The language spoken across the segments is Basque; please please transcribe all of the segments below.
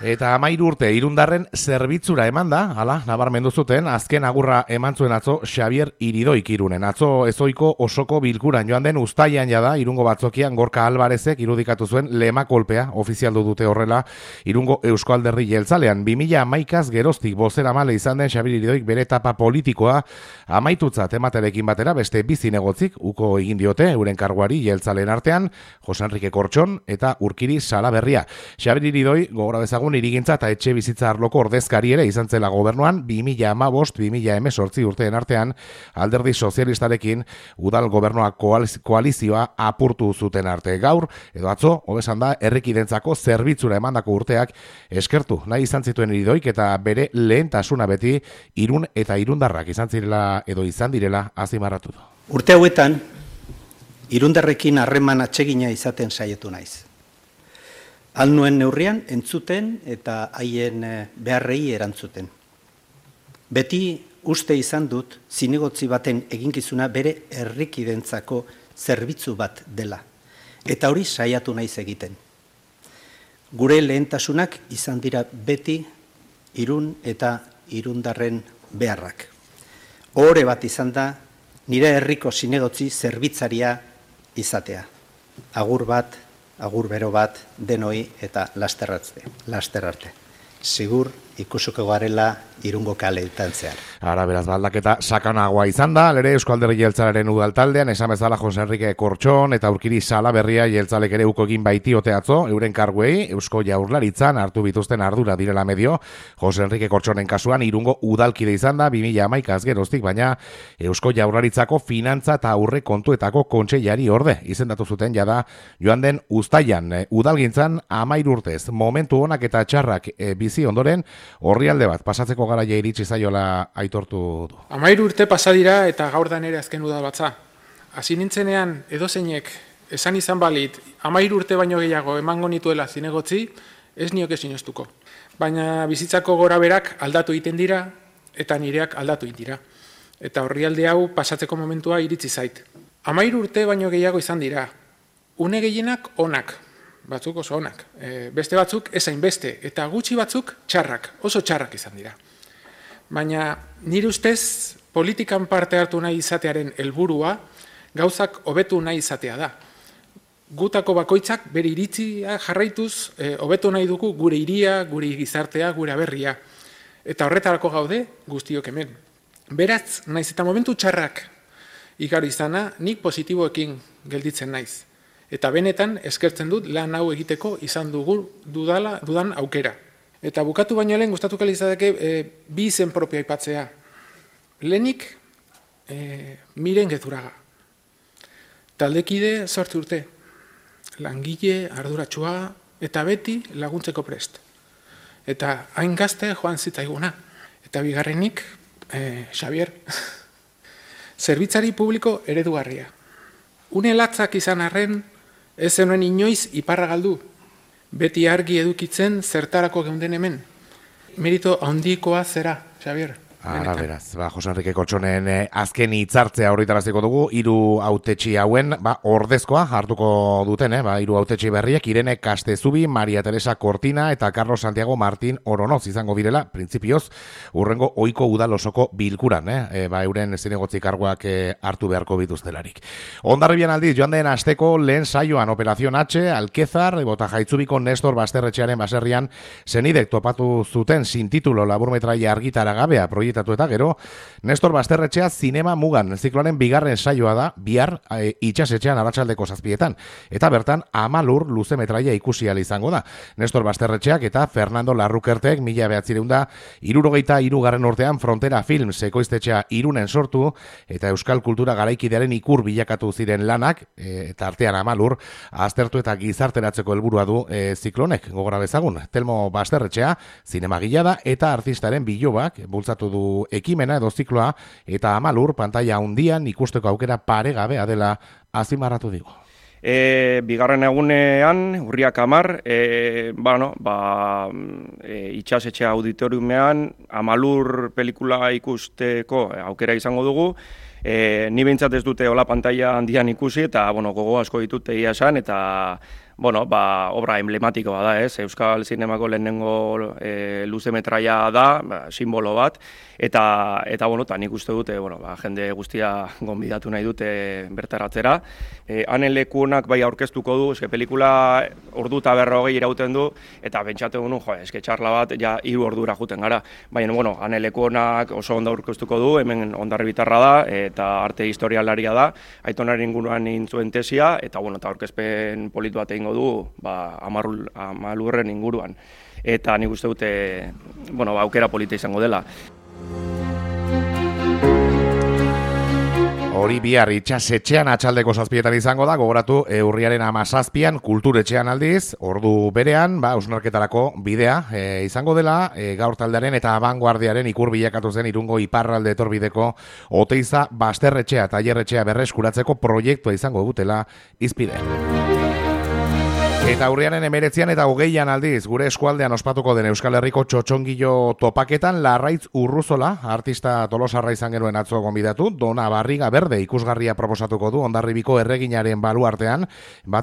Eta 13 urte Irundarren zerbitzura eman da, hala, nabarmendu zuten, azken agurra eman zuen atzo Xabier Iridoik Irunen. Atzo ezoiko osoko bilkuran joan den uztaian jada, Irungo batzokian Gorka Alvarezek irudikatu zuen lema kolpea, ofizialdu dute horrela, Irungo Eusko Alderdi Jeltzalean. 2011az geroztik bozeramale izan den Xabier Iridoik bere etapa politikoa amaitutzat ematerekin batera, beste bizi negotzik, uko egin diote, euren karguari jeltzaleen artean, Jose Enrique Kortxon eta Urkiri Salaberria. Xabier Iridoi, gogora bezagun, irigintza eta etxe bizitza arloko ordezkari ere izan zela gobernuan 2015-2018 urteen artean Alderdi Sozialistarekin udal gobernua koalizioa apurtu zuten arte. Gaur, edo atzo, hobesan da, herrikidentzako zerbitzura emandako urteak eskertu nahi izan zituen Iridoik eta bere lehentasuna beti Irun eta Irundarrak izan zirela edo izan direla azimarratu du. Urte hauetan, Irundarrekin harreman atsegina izaten saiatu naiz. Nuen neurrian entzuten eta haien beharrei erantzuten. Beti uste izan dut zinegotzi baten eginkizuna bere herrikidentzako zerbitzu bat dela. Eta hori saiatu naiz egiten. Gure lehentasunak izan dira beti Irun eta Irundarren beharrak. Ohore bat izan da nire herriko zinegotzi zerbitzaria izatea. Agur bat, agur bero bat, denoi eta laster arte. Sigur ikusuko garela Irungo kaleetan zehar. Ara, beraz, baldaketa sakanagoa izan da, lere Eusko Alderdi Jeltzalearen udaltaldean, esan bezala Jose Enrique Kortxon eta Urkiri Salaberria jeltzalek ere uko egin baitiote atzo, euren karguei, Eusko Jaurlaritzan hartu bituzten ardura direla medio, Jose Enrique Kortxonen kasuan Irungo udalkide izan da, 2011az geroztik, baina Eusko Jaurlaritzako finantza eta aurre kontuetako kontseilari orde, izendatu zuten jada joan den uztailan, udalgintzan 13 urtez, momentu onak eta txarrak bizi ondoren, orrialde bat pasatzeko garaia iritsi zaiola aitortu du. 13 urte pasa dira eta gaur da nere azken udalbatza. Hasi nintzenean edozeinek esan izan balit 13 urte baino gehiago emango nituela zinegotzi, ez nioke sinestuko. Baina bizitzako goraberak aldatu egiten dira eta nireak aldatu egiten dira. Eta orrialde hau pasatzeko momentua iritsi zait. 13 urte baino gehiago izan dira. Une gehienak onak. Batzuk oso onak, beste batzuk ezain beste, eta gutxi batzuk txarrak, oso txarrak izan dira. Baina nire ustez politikan parte hartu nahi izatearen helburua gauzak hobetu nahi izatea da. Gutako bakoitzak bere iritzia jarraituz hobetu nahi dugu gure hiria, gure gizartea, gure aberria. Eta horretarako gaude guztiok hemen. Beraz, naiz eta momentu txarrak igaro izana, nik positiboekin gelditzen naiz. Eta benetan eskertzen dut lan hau egiteko izan dudan aukera. Eta bukatu baino lehen gustatuko litzateke bi izen propio aipatzea. Lehenik Miren Gezurraga. Taldekide 8 urte. Langile, arduratsua eta beti laguntzeko prest. Eta hain gazte joan zitzaiguna. Eta bigarrenik Xabier. Zerbitzari publiko eredugarria. Une latzak izan arren, ez zenuen inoiz iparra galdu. Beti argi edukitzen zertarako geunden hemen. Merito handikoa zera, Xabier. Ara, beraz, Jose Enrique Kortxonen azken hitzartzea horretaraziko dugu, 3 hautetsi hauen, ordezkoa hartuko duten, 3 hautetsi berriek, Irene Castezubi, Maria Teresa Cortina eta Carlos Santiago Martín Oronoz izango direla, printzipioz, urrengo ohiko udal osoko bilkuran, euren zinegotzi karguak hartu beharko bituztelarik. Hondarribian aldiz, joan den asteko lehen saioan Operación H, Alkezar, bota jaitzubiko Nestor Basterretxearen baserrian zenidek topatu zuten sin titulo laburmetraia argitara gabea proiektu eta gero, Nestor Basterretxea zinema mugan zikloaren bigarren saioa da, bihar itxasetxean arratsaldeko 7:00, eta bertan Amalur luze metraia ikusi ahal izango da. Nestor Basterretxeak eta Fernando Larrukertek 1973 urtean Frontera Films ekoiztetxea Irunen sortu, eta euskal kultura garaikidearen ikur bilakatu ziren lanak, eta artean Amalur, aztertu eta gizarteratzeko helburua du ziklonek, gogora bezagun. Telmo Basterretxea, zinemagila da, eta artistaren bilobak bultzatu du ekimena edo zikloa, eta Amalur pantaila handian ikusteko aukera paregabea dela azimarratu digu. Bigarren egunean, urriak 10, itxasetxe auditoriumean Amalur pelikula ikusteko aukera izango dugu. Ni behintzat ez dute hola pantaila handian ikusi, eta gogo asko ditut egia esan, eta bueno, obra emblematikoa da, ez? Euskal zinemako lehenengo luzemetraia da, simbolo bat, eta bueno, nik uste dute, jende guztia gonbidatu nahi dute bertaratzera. Hanen lekuonak bai aurkeztuko du, pelikula ordu eta 40 irauten du, eta pentsatu genuen, txarla bat, ja 3 ordura juten gara. Baina, hanen lekuonak oso ondo aurkeztuko du, hemen Hondarribitarra da, eta arte historialaria da, Aitonaren inguruan intzuen tesia, eta aurkezpen politu bat egingo du, Amalurren inguruan. Eta nik uste dute, aukera polita izango dela. Hori bihar itxasetxean atxaldeko 7 izango da, gogoratu urriaren 17 kulturetxean aldiz, ordu berean, hausnarketarako bidea izango dela, gaur taldearen eta abanguardiaren ikur bilakatu zen Irungo iparralde etorbideko Oteiza basterretxea eta tailerretxea berreskuratzeko proiektua izango dutela hizpide. Eta urriaren 19 eta 20 aldiz, gure eskualdean ospatuko den Euskal Herriko txotxongilo topaketan Larraitz Urruzola, artista tolosarra izan genuen atzo gonbidatu, Dona Barriga Berde ikusgarria proposatuko du Hondarribiko erreginaren baluartean,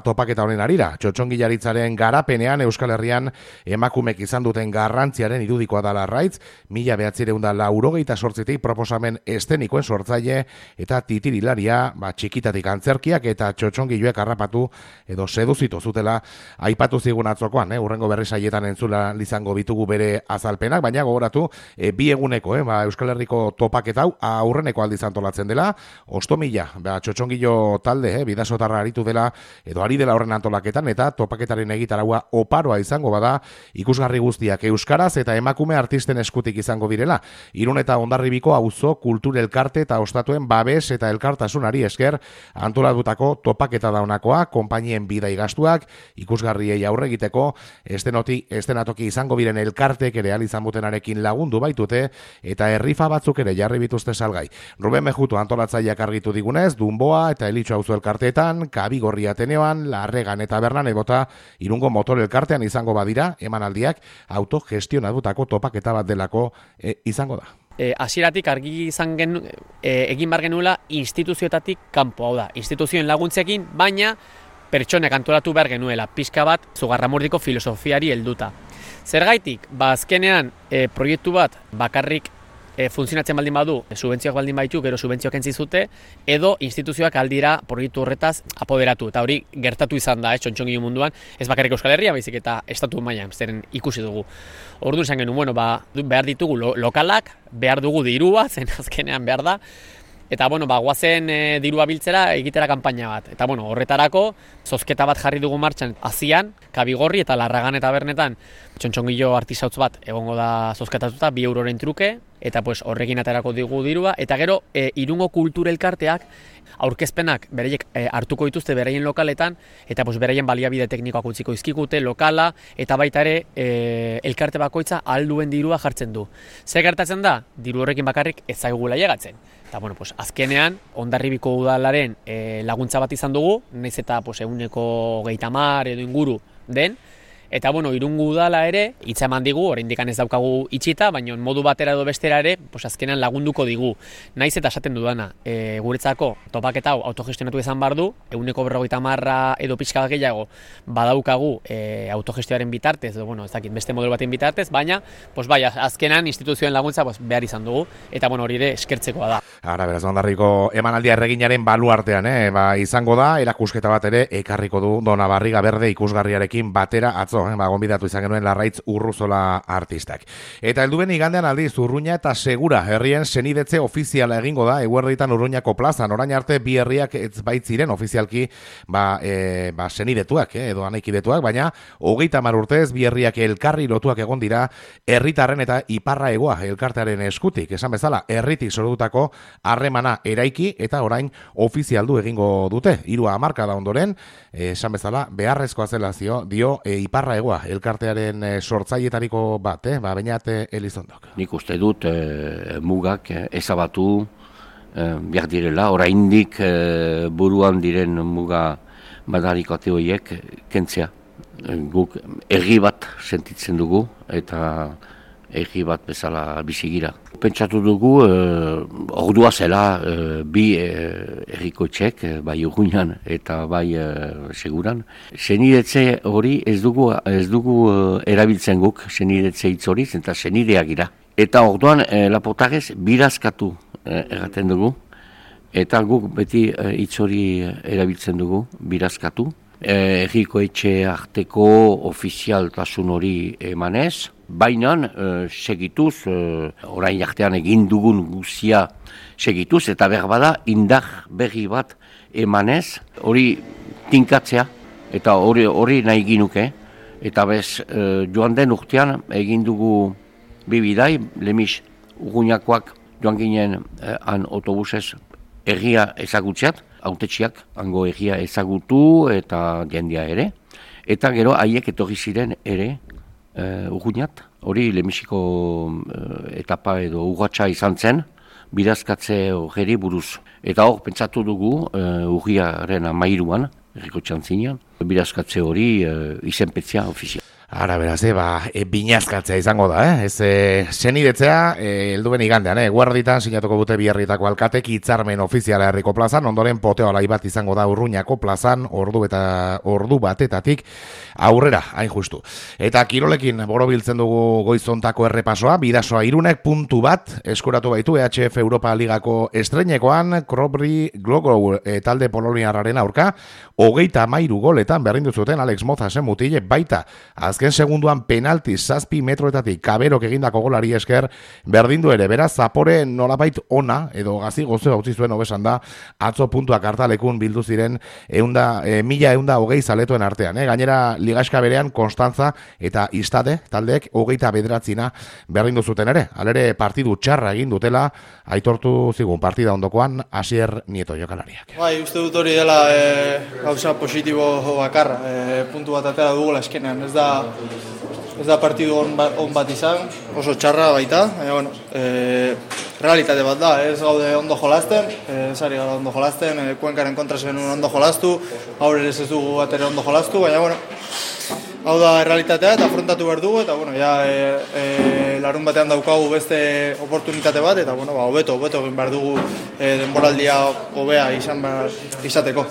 topaketa honen arira. Txotxongilaritzaren garapenean Euskal Herrian emakumek izan duten garrantziaren irudikoa da Larraitz, 1998 proposamen estenikoen sortzaile eta titirilaria, txikitatik antzerkiak eta txotxongiloek harrapatu edo seduzitu zutela aipatu zigun atzokoan, urrengo berri saietan entzula izango bitugu bere azalpenak, baina gogoratu, 2 eguneko, Euskal Herriko topaketa hau aurreneko aldiz antolatzen dela, ostomila, txotxongilo talde, bidasotarra aritu dela, edo ari dela horren antolaketan, eta topaketaren egitaraua oparoa izango bada, ikusgarri guztiak euskaraz eta emakume artisten eskutik izango direla. Irun eta Hondarribiko auzo kultur elkarte eta ostatuen babes eta elkartasunari esker antolatutako topaketa daunakoa, konpainien bidai gastuak, ikusgarriei aurre egiteko, estenatoki izango biren elkartek ere izan butenarekin lagundu baitute, eta herrifa batzuk ere jarri bituzte salgai. Ruben Mejuto antolatzaileak argitu digunez, Dunboa eta Elitxo auzo elkarteetan, Kabigorri Ateneoan, Larregan eta Bernan ebota Irungo motor elkartean izango badira, emanaldiak autogestionatutako topaketa bat delako izango da. Hasieratik argi izan egin bar genuela instituzioetatik kanpo, hau da, instituzioen laguntzekin, baina pertsonek antolatu behar genuela, pixka bat Zugarramurdiko filosofiari helduta. Zergaitik, azkenean proiektu bat bakarrik funtzionatzen baldin badu, subentzioak baldin baitu, gero subentzioak entzizute, edo instituzioak aldira proiektu horretaz apoderatu. Eta hori gertatu izan da, txotxongilo munduan, ez bakarrik Euskal Herria, baizik eta estatu mailan, zeren ikusi dugu. Orduan esan genuen, behar ditugu lokalak, behar dugu dirua, zen azkenean behar da, eta guazen dirua biltzera egitera kanpaina bat. Eta horretarako zozketa bat jarri dugu martxan Azian, Kabigorri eta Larragan eta Bernetan txotxongilo artisautz bat egongo da zozketatuta 2 euroren truke, eta horrekin aterako digu dirua, eta gero Irungo kultur elkarteak aurkezpenak bereiek hartuko dituzte beraien lokaletan, eta beraien baliabide teknikoak utziko izkikute lokala, eta baita ere elkarte bakoitza alduen dirua jartzen du. Zer gertatzen da? Diru horrekin bakarrik ez zaigula llegatzen. Eta azkenean Hondarribiko udalaren laguntza bat izan dugu, nahiz eta 130 edo inguru den, eta Irungo udala ere hitza eman digu, oraindik ez daukagu itxita, baina modu batera edo bestera ere azkenean lagunduko digu. Naiz eta esaten dudana, guretzako topaketa hau autogestionatu izan behar du, 150 edo pixka bat gehiago badaukagu autogestioaren bitartez, edo ez dakit beste modelo baten bitartez, baina azkenean instituzioen laguntza behar izan dugu, eta hori ere eskertzekoa da. Ara, beraz, Hondarriko emanaldia erreginaren baluartean, izango da, erakusketa bat ere ekarriko du Dona Barriga Berde ikusgarriarekin batera atzo, gonbidatu izan genuen Larraitz Urruzola artistak. Eta helduen igandean aldiz, Urruña eta Segura herrien senidetze ofiziala egingo da, eguerditan Urruñako plazan, orain arte bi herriak ez baitziren ofizialki senidetuak, edo anaikidetuak, baina 30 urtez bi herriak elkarri lotuak egon dira herritarren eta iparra egoa elkartearen eskutik, esan bezala, herritik sortutako harremana eraiki eta orain ofizialdu egingo dute, 3 hamarkada ondoren, esan bezala, beharrezkoa zela dio iparra egoa elkartearen sortzaietariko bat, Beñat Elizondok. Nik uste dut mugak ezabatu behar direla, oraindik buruan diren muga badarikoate horiek kentzea. Guk erri bat sentitzen dugu eta egi bat bezala bizigira. Pentsatu dugu, ordua zela bi errikoetxek, bai Urruñan eta bai Seguran. Senidetze hori ez dugu erabiltzen guk, senidetze hitz hori, eta senideak gira. Eta orduan Laportarez birazkatu erraten dugu, eta guk beti hitz hori erabiltzen dugu, birazkatu. Errikoetxe arteko ofizialtasun hori emanez, baina segituz, orain artean egin dugun guzia segituz, eta berbada indar berri bat emanez, hori tinkatzea, eta hori nahi ginuke, eta bez joan den urtean egin dugu bibidai, Lemis Urruñakoak joan ginen han autobusez erria ezagutzeat, hautetxiak hango egia ezagutu eta jendia ere. Eta gero haiek etorri ziren ere Urruñat. Hori Lemisiko etapa edo urratsa izan zen, birazkatze hori buruz. Eta hor pentsatu dugu urriaren 13an, errikotxean zinean, birazkatze hori izenpetzea ofizial. Ara, beraz, binazkatzea izango da, ez senidetzea, helduen igandean, guarditan sinatuko dute Biarritako alkatek hitzarmen ofiziala herriko plazan, ondoren poteo alai bat izango da Urruñako plazan, ordu batetatik aurrera, hain justu. Eta kirolekin borobiltzen dugu goizontako errepasoa, Bidasoa Irunek puntu bat eskuratu baitu EHF Europa Ligako estreinekoan, Krobri Glogo talde poloniarraren aurka, 33 goletan berdindu zuten Alex Mozasen mutile baita, azken segunduan penalti 7 metroetatik kaberok egindako golari esker berdindu ere, beraz Zapore nolabait ona edo gazi gozo utzi zuen hobesan da atzo puntuak hartalekun bildu ziren 1120 zaletuen artean, gainera ligaska berean Konstantza eta Istade taldeek 29 berdindu zuten ere. Halere partidu txarra egin dutela aitortu zigun partida ondokoan Asier Nieto jokalariak. Bai, uste dut hori dela gauza positibo bakarra, puntu bat atera dugula eskenean, ez da partidu on bat izan, oso txarra baita, bueno, realitate bat da, ez gaude ondo jolasten, ez ari gara ondo jolasten, Kuenkaren kontra zen ondo jolastu, gaur ere ez dugu bat ere ondo jolastu, baina, bueno, hau da realitatea eta afrontatu behar dugu, eta, bueno, larun batean daukagu beste oportunitate bat, eta, bueno, hobeto egin behar dugu denboraldia hobea izateko.